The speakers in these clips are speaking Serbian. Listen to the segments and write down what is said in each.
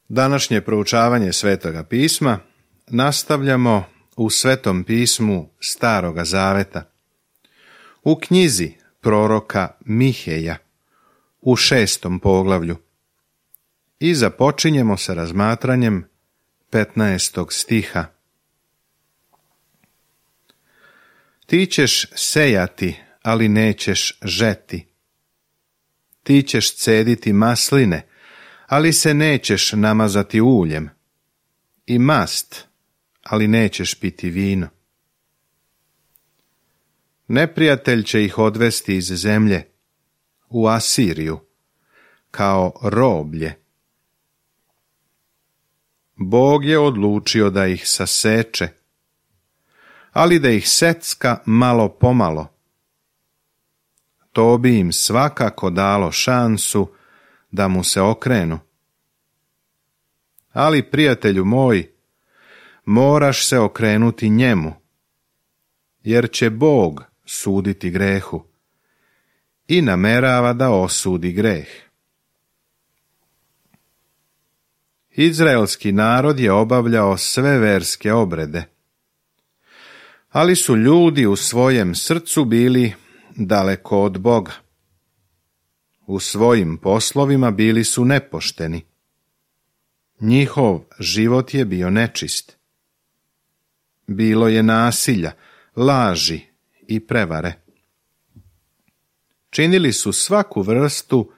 Današnje proučavanje Svetoga pisma nastavljamo u Svetom pismu Staroga Zaveta, u knjizi proroka Miheja, u 6. poglavlju. I započinjemo sa razmatranjem 15. stiha. Ti ćeš sejati, ali nećeš žeti. Ti ćeš cediti masline, ali se nećeš namazati uljem, i mast, ali nećeš piti vino. Neprijatelj će ih odvesti iz zemlje, u Asiriju, kao roblje. Bog je odlučio da ih saseče, ali da ih secka malo pomalo. To bi im svakako dalo šansu da mu se okrenu. Ali, prijatelju moj, moraš se okrenuti njemu, jer će Bog suditi grehu i namerava da osudi greh. Izraelski narod je obavljao sve verske obrede, ali su ljudi u svojem srcu bili daleko od Boga. U svojim poslovima bili su nepošteni. Njihov život je bio nečist. Bilo je nasilja, laži i prevare. Činili su svaku vrstu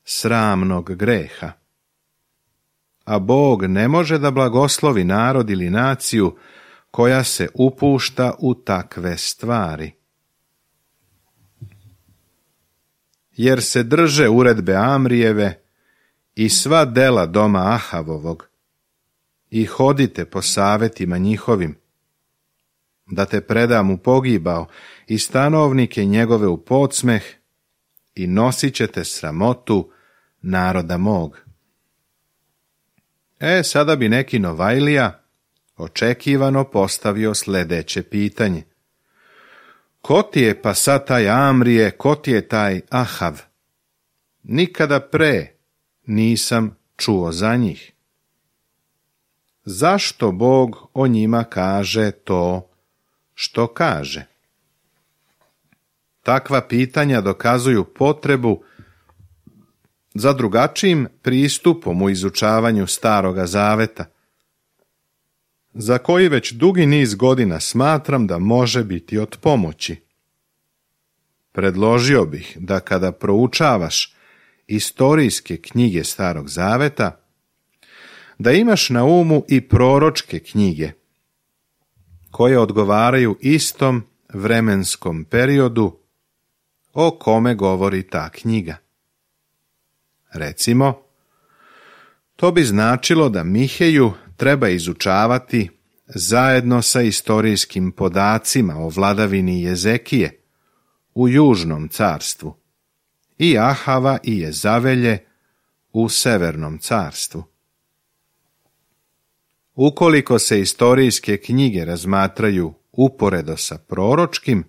sramnog greha. A Bog ne može da blagoslovi narod ili naciju koja se upušta u takve stvari. Jer se drže uredbe Amrijeve i sva dela doma Ahavovog i hodite po savetima njihovim, da te predam u pogibao i stanovnike njegove u podsmeh i nosit ćete sramotu naroda mog. Sada bi neki Novajlija očekivano postavio sljedeće pitanje. Ko ti je pa sad taj Amrije, ko ti je taj Ahav? Nikada pre nisam čuo za njih. Zašto Bog o njima kaže to što kaže? Takva pitanja dokazuju potrebu za drugačijim pristupom u izučavanju Staroga Zaveta, za koji već dugi niz godina smatram da može biti od pomoći. Predložio bih da kada proučavaš istorijske knjige Starog Zaveta, da imaš na umu i proročke knjige, koje odgovaraju istom vremenskom periodu o kome govori ta knjiga. Recimo, to bi značilo da Miheju treba izučavati zajedno sa istorijskim podacima o vladavini Jezekije u Južnom carstvu i Ahava i Jezavelje u Severnom carstvu. Ukoliko se istorijske knjige razmatraju uporedo sa proročkim,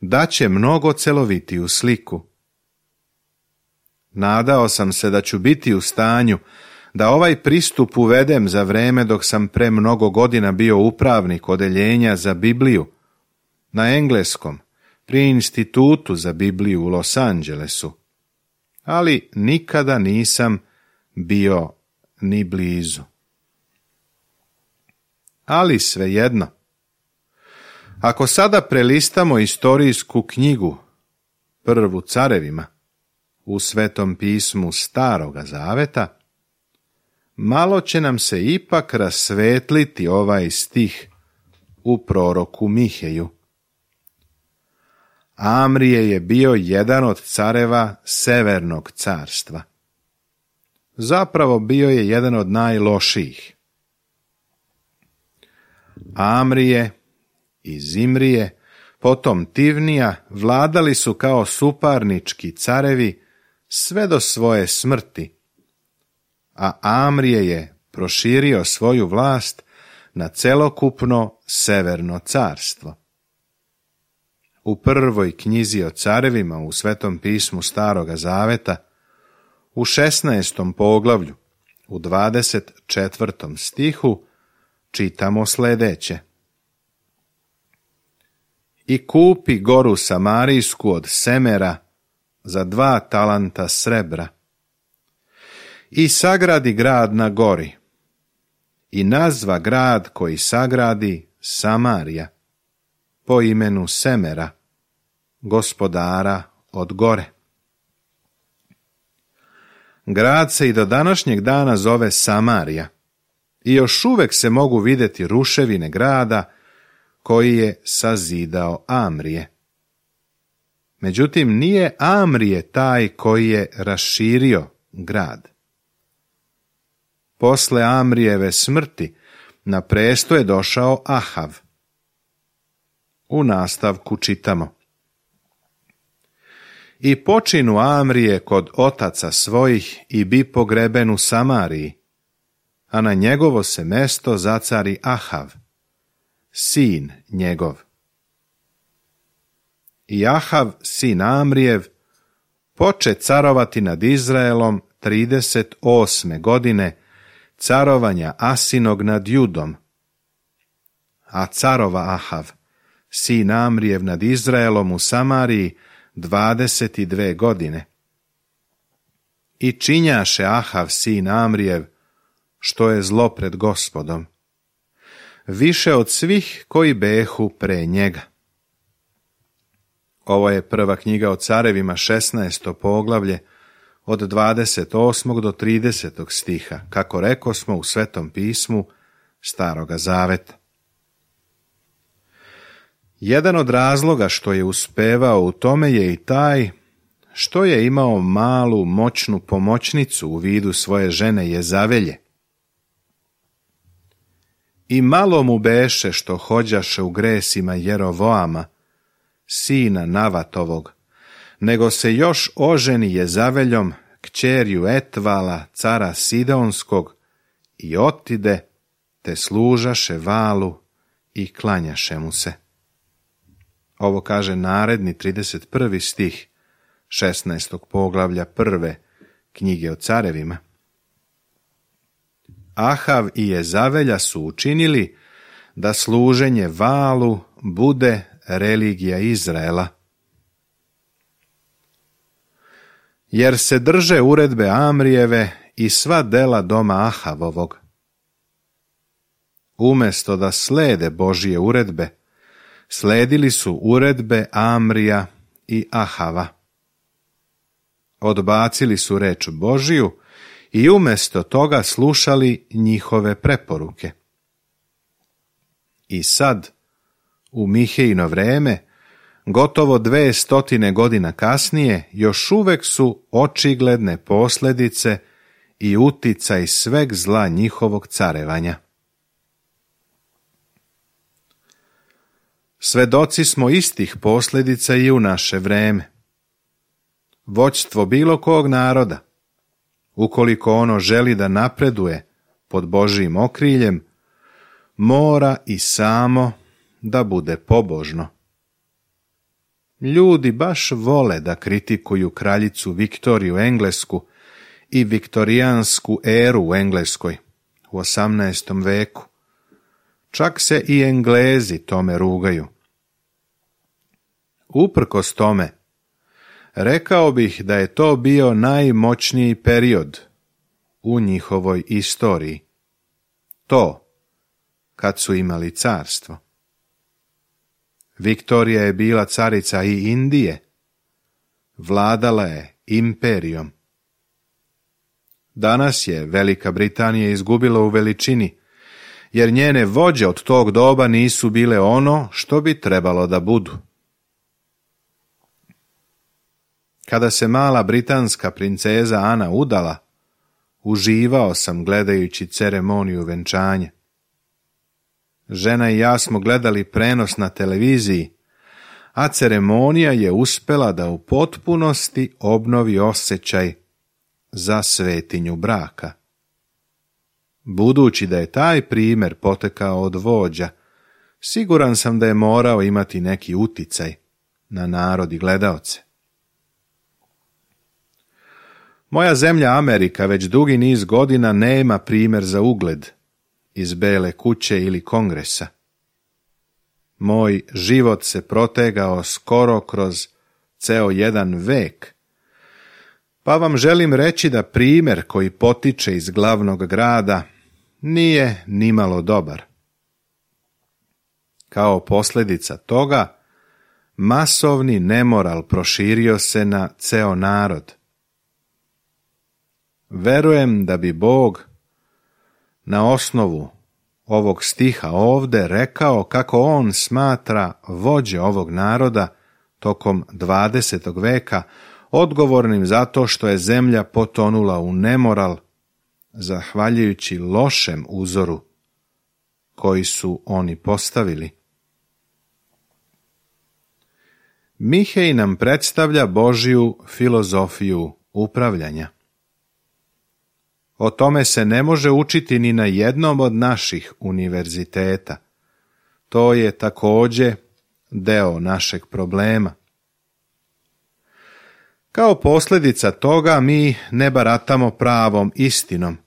daće mnogo celovitiju sliku. Nadao sam se da ću biti u stanju da ovaj pristup uvedem za vreme dok sam pre mnogo godina bio upravnik odeljenja za Bibliju na engleskom pri Institutu za Bibliju u Los Angelesu, ali nikada nisam bio ni blizu. Ali svejedno, ako sada prelistamo istorijsku knjigu, prvu Carevima, u Svetom pismu Staroga Zaveta, malo će nam se ipak rasvetliti ovaj stih u proroku Miheju. Amrije je bio jedan od careva Severnog carstva. Zapravo bio je jedan od najlošijih. Amrije i Zimrije, potom Tivnija, vladali su kao suparnički carevi sve do svoje smrti, a Amrije je proširio svoju vlast na celokupno Severno carstvo. U prvoj knjizi o carevima u Svetom pismu Staroga Zaveta, u 16. poglavlju, u 24. stihu čitamo sljedeće. I kupi goru Samarijsku od Semera za 2 talanta srebra. I sagradi grad na gori. I nazva grad koji sagradi Samarija, po imenu Semera, gospodara od gore. Grad se i do današnjeg dana zove Samarija i još uvek se mogu vidjeti ruševine grada koji je sazidao Amrije. Međutim, nije Amrije taj koji je raširio grad. Posle Amrijeve smrti na presto je došao Ahav. U nastavku čitamo. I počinu Amrije kod otaca svojih i bi pogreben u Samariji, a na njegovo se mesto zacari Ahav, sin njegov. I Ahav, sin Amrijev, poče carovati nad Izraelom 38. godine carovanja Asinog nad Judom. A carova Ahav, sin Amrijev nad Izraelom u Samariji 22 godine. I činjaše Ahav, sin Amrijev, što je zlo pred Gospodom, više od svih koji behu pre njega. Ovo je prva knjiga o carevima, 16. poglavlje, od 28. do 30. stiha, kako rekosmo u Svetom pismu Staroga zaveta. Jedan od razloga što je uspevao u tome je i taj što je imao malu moćnu pomoćnicu u vidu svoje žene Jezavelje. I malo mu beše što hođaše u gresima Jerovoama, sina Navatovog, nego se još oženi Jezaveljom, kćerju Etvala, cara Sidonskog, i otide, te služaše Valu i klanjaše mu se. Ovo kaže naredni 31. stih 16. poglavlja 1. knjige o carevima. Ahav i Jezavelja su učinili da služenje Valu bude religija Izraela. Jer se drže uredbe Amrijeve i sva dela doma Ahavovog. Umjesto da slede Božije uredbe, sledili su uredbe Amrija i Ahava. Odbacili su reč Božiju i umjesto toga slušali njihove preporuke. I sad, u Mihejino vreme, gotovo 200 godina kasnije, još uvek su očigledne posljedice i uticaj sveg zla njihovog carevanja. Svedoci smo istih posljedica i u naše vreme. Vođstvo bilo kog naroda, ukoliko ono želi da napreduje pod Božjim okriljem, mora i samo da bude pobožno. Ljudi baš vole da kritikuju kraljicu Viktoriju Englesku i viktorijansku eru u Engleskoj u 18. veku. Čak se i Englezi tome rugaju. Uprkos tome, rekao bih da je to bio najmoćniji period u njihovoj istoriji. To, kad su imali carstvo. Viktorija je bila carica i Indije. Vladala je imperijom. Danas je Velika Britanija izgubila u veličini, jer njene vođe od tog doba nisu bile ono što bi trebalo da budu. Kada se mala britanska princeza Ana udala, uživao sam gledajući ceremoniju venčanja. Žena i ja smo gledali prenos na televiziji, a ceremonija je uspela da u potpunosti obnovi osjećaj za svetinju braka. Budući da je taj primjer potekao od vođa, siguran sam da je morao imati neki uticaj na narod i gledaoce. Moja zemlja Amerika već dugi niz godina nema primjer za ugled iz Bele kuće ili Kongresa. Moj život se protegao skoro kroz ceo jedan vek, pa vam želim reći da primjer koji potiče iz glavnog grada nije nimalo dobar. Kao posljedica toga, masovni nemoral proširio se na ceo narod. Verujem da bi Bog na osnovu ovog stiha ovde rekao kako on smatra vođe ovog naroda tokom 20. veka odgovornim zato što je zemlja potonula u nemoral zahvaljujući lošem uzoru koji su oni postavili. Mihej nam predstavlja Božju filozofiju upravljanja. O tome se ne može učiti ni na jednom od naših univerziteta. To je također deo našeg problema. Kao posljedica toga mi ne baratamo pravom istinom,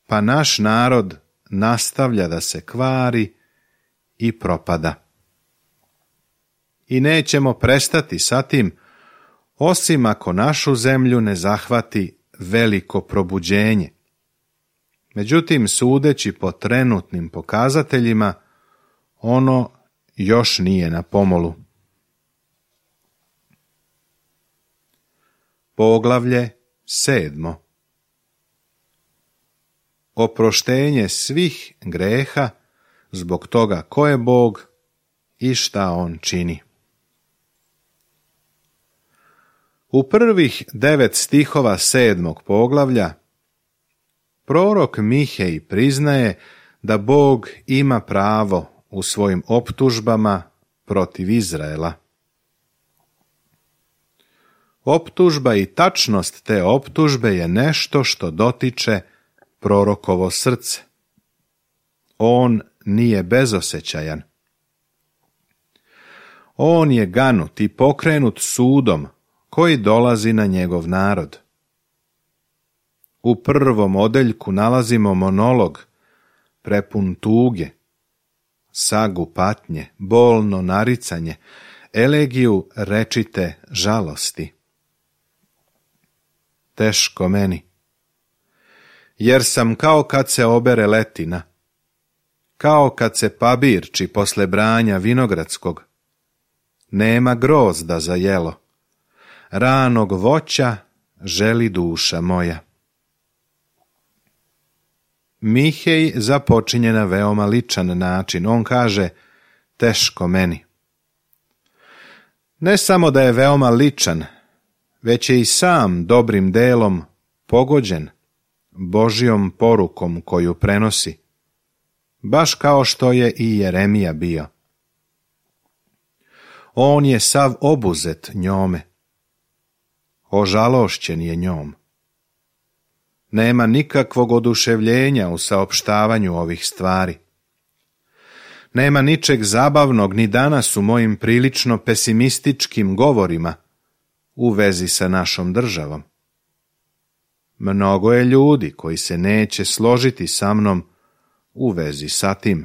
pa naš narod nastavlja da se kvari i propada. I nećemo prestati sa tim, osim ako našu zemlju ne zahvati veliko probuđenje. Međutim, sudeći po trenutnim pokazateljima, ono još nije na pomolu. Poglavlje 7. Oproštenje svih greha zbog toga ko je Bog i šta on čini. U prvih 9 stihova 7. poglavlja prorok Mihej priznaje da Bog ima pravo u svojim optužbama protiv Izraela. Optužba i tačnost te optužbe je nešto što dotiče prorokovo srce. On nije bezosjećajan. On je ganut i pokrenut sudom koji dolazi na njegov narod. U prvom odeljku nalazimo monolog prepun tuge, sagu patnje, bolno naricanje, elegiju rečite žalosti. Teško meni, jer sam kao kad se obere letina, kao kad se pabirči posle branja vinogradskog. Nema grozda za jelo, ranog voća želi duša moja. Mihej započinje na veoma ličan način. On kaže, teško meni. Ne samo da je veoma ličan, već je i sam dobrim delom pogođen Božjom porukom koju prenosi, baš kao što je i Jeremija bio. On je sav obuzet njome, ožalošćen je njom. Nema nikakvog oduševljenja u saopštavanju ovih stvari. Nema ničeg zabavnog ni danas u mojim prilično pesimističkim govorima u vezi sa našom državom. Mnogo je ljudi koji se neće složiti sa mnom u vezi sa tim.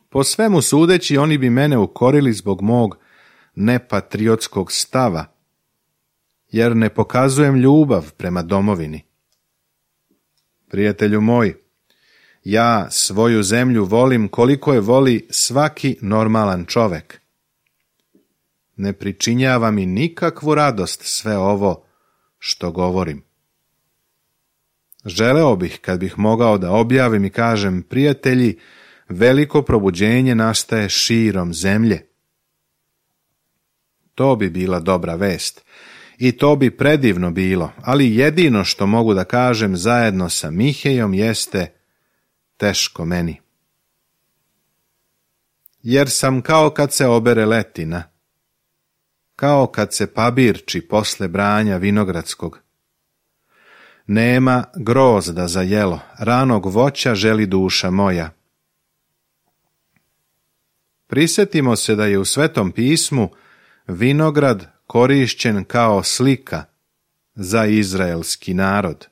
Po svemu sudeći, oni bi mene ukorili zbog mog nepatriotskog stava, jer ne pokazujem ljubav prema domovini. Prijatelju moj, ja svoju zemlju volim koliko je voli svaki normalan čovek. Ne pričinjava mi nikakvu radost sve ovo što govorim. Želeo bih kad bih mogao da objavim i kažem, prijatelji, veliko probuđenje nastaje širom zemlje. To bi bila dobra vest i to bi predivno bilo, ali jedino što mogu da kažem zajedno sa Mihejom jeste teško meni. Jer sam kao kad se obere letina, kao kad se pabirči posle branja vinogradskog. Nema grozda za jelo, ranog voća želi duša moja. Prisjetimo se da je u Svetom pismu vinograd korišćen kao slika za izraelski narod.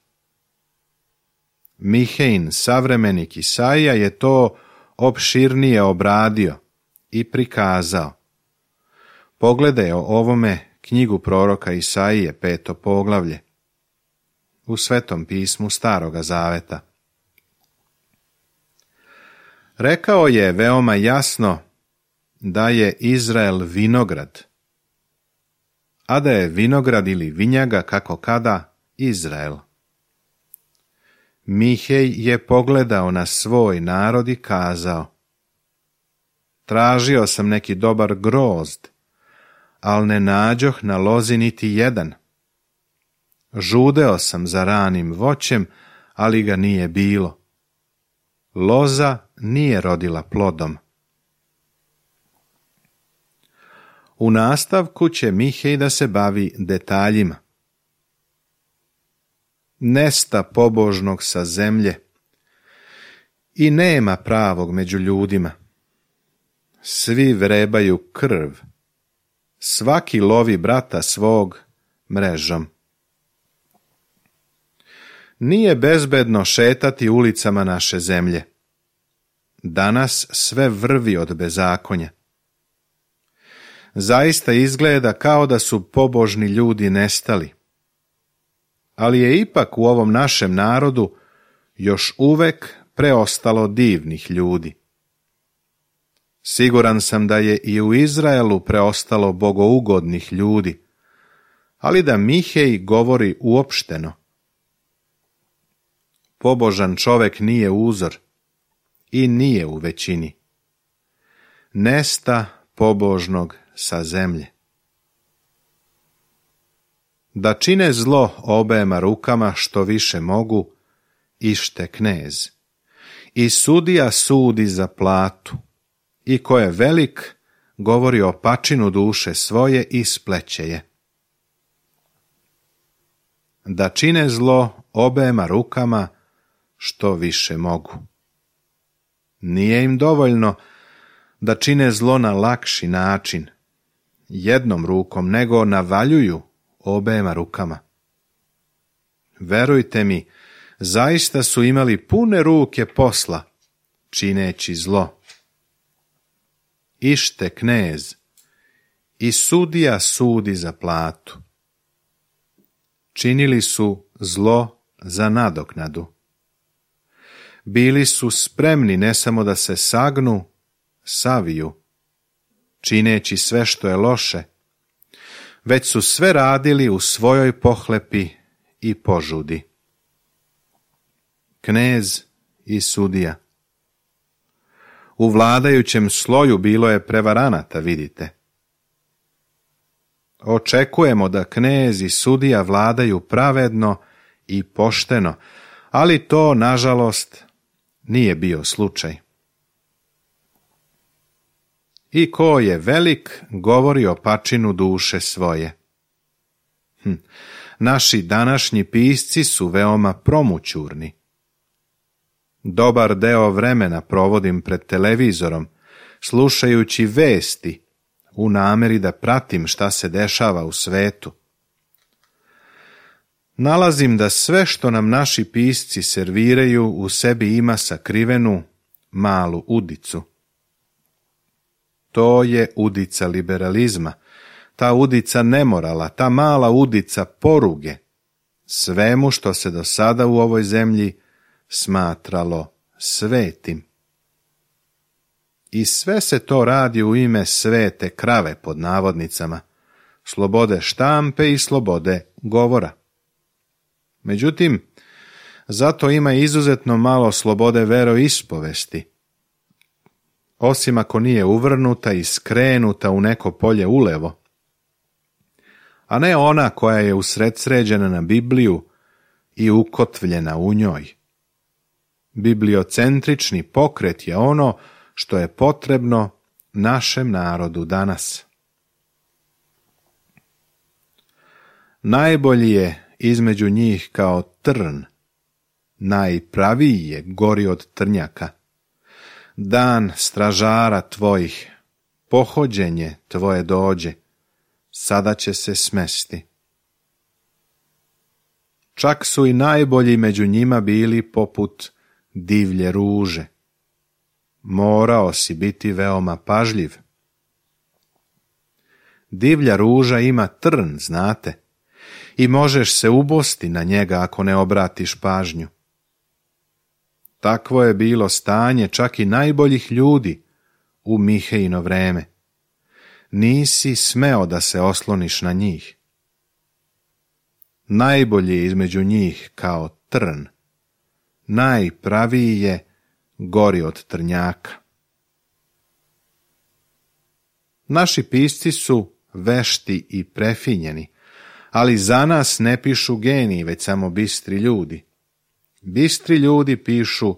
Mihejin savremenik Isaija je to opširnije obradio i prikazao. Pogledaj o ovome knjigu proroka Isaije, 5. poglavlje, u Svetom pismu Staroga Zaveta. Rekao je veoma jasno da je Izrael vinograd, a da je vinograd ili vinjaga, kako kada, Izrael. Mihej je pogledao na svoj narod i kazao: tražio sam neki dobar grozd, al ne nađoh na lozi niti jedan. Žudeo sam za ranim voćem, ali ga nije bilo. Loza nije rodila plodom. U nastavku će Mihej da se bavi detaljima. Nesta pobožnog sa zemlje i nema pravog među ljudima. Svi vrebaju krv, svaki lovi brata svog mrežom. Nije bezbedno šetati ulicama naše zemlje. Danas sve vrvi od bezakonja. Zaista izgleda kao da su pobožni ljudi nestali. Ali je ipak u ovom našem narodu još uvek preostalo divnih ljudi. Siguran sam da je i u Izraelu preostalo bogougodnih ljudi, ali da Mihej govori uopšteno. Pobožan čovek nije uzor i nije u većini. Nesta pobožnog sa zemlje. Da čine zlo obema rukama što više mogu, ište knez. I sudija sudi za platu, i ko je velik, govori o pačinu duše svoje i spleće je. Da čine zlo obema rukama što više mogu. Nije im dovoljno da čine zlo na lakši način, jednom rukom, nego navaljuju obema rukama. Verujte mi, zaista su imali pune ruke posla, čineći zlo. Ište knez i sudija sudi za platu. Činili su zlo za nadoknadu. Bili su spremni ne samo da se sagnu, saviju, čineći sve što je loše, već su sve radili u svojoj pohlepi i požudi. Knez i sudija. U vladajućem sloju bilo je prevaranata, vidite. Očekujemo da knez i sudija vladaju pravedno i pošteno, ali to, nažalost, nije bio slučaj. I ko je velik, govori o pačinu duše svoje. Naši današnji pisci su veoma promućurni. Dobar deo vremena provodim pred televizorom, slušajući vesti, u nameri da pratim šta se dešava u svetu. Nalazim da sve što nam naši pisci serviraju u sebi ima sakrivenu malu udicu. To je udica liberalizma, ta udica nemorala, ta mala udica poruge, svemu što se do sada u ovoj zemlji smatralo svetim. I sve se to radi u ime svete krave, pod navodnicama, slobode štampe i slobode govora. Međutim, zato ima izuzetno malo slobode veroispovesti, osim ako nije uvrnuta i skrenuta u neko polje ulevo, a ne ona koja je usredsređena na Bibliju i ukotvljena u njoj. Bibliocentrični pokret je ono što je potrebno našem narodu danas. Najbolji je između njih kao trn, najpraviji je gori od trnjaka. Dan stražara tvojih, pohođenje tvoje dođe, sada će se smesti. čak su i najbolji među njima bili poput divlje ruže. Morao si biti veoma pažljiv. Divlja ruža ima trn, znate, i možeš se ubosti na njega ako ne obratiš pažnju. Takvo je bilo stanje čak i najboljih ljudi u Mihejino vreme. Nisi smeo da se osloniš na njih. Najbolji je između njih kao trn, najpraviji je gori od trnjaka. Naši pisci su vešti i prefinjeni, ali za nas ne pišu geniji, već samo bistri ljudi. Bistri ljudi pišu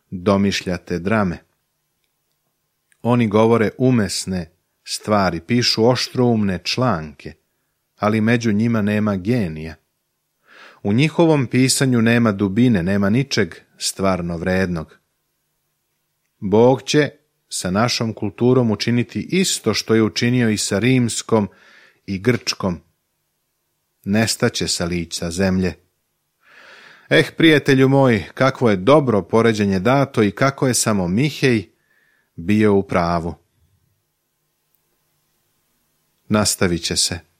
domišljate drame. Oni govore umesne stvari, pišu oštroumne članke, ali među njima nema genija. U njihovom pisanju nema dubine, nema ničeg stvarno vrednog. Bog će sa našom kulturom učiniti isto što je učinio i sa rimskom i grčkom. Nestaće sa lica zemlje. Prijatelju moj, kakvo je dobro poređenje dato i kako je samo Mihej bio u pravu. Nastavit će se.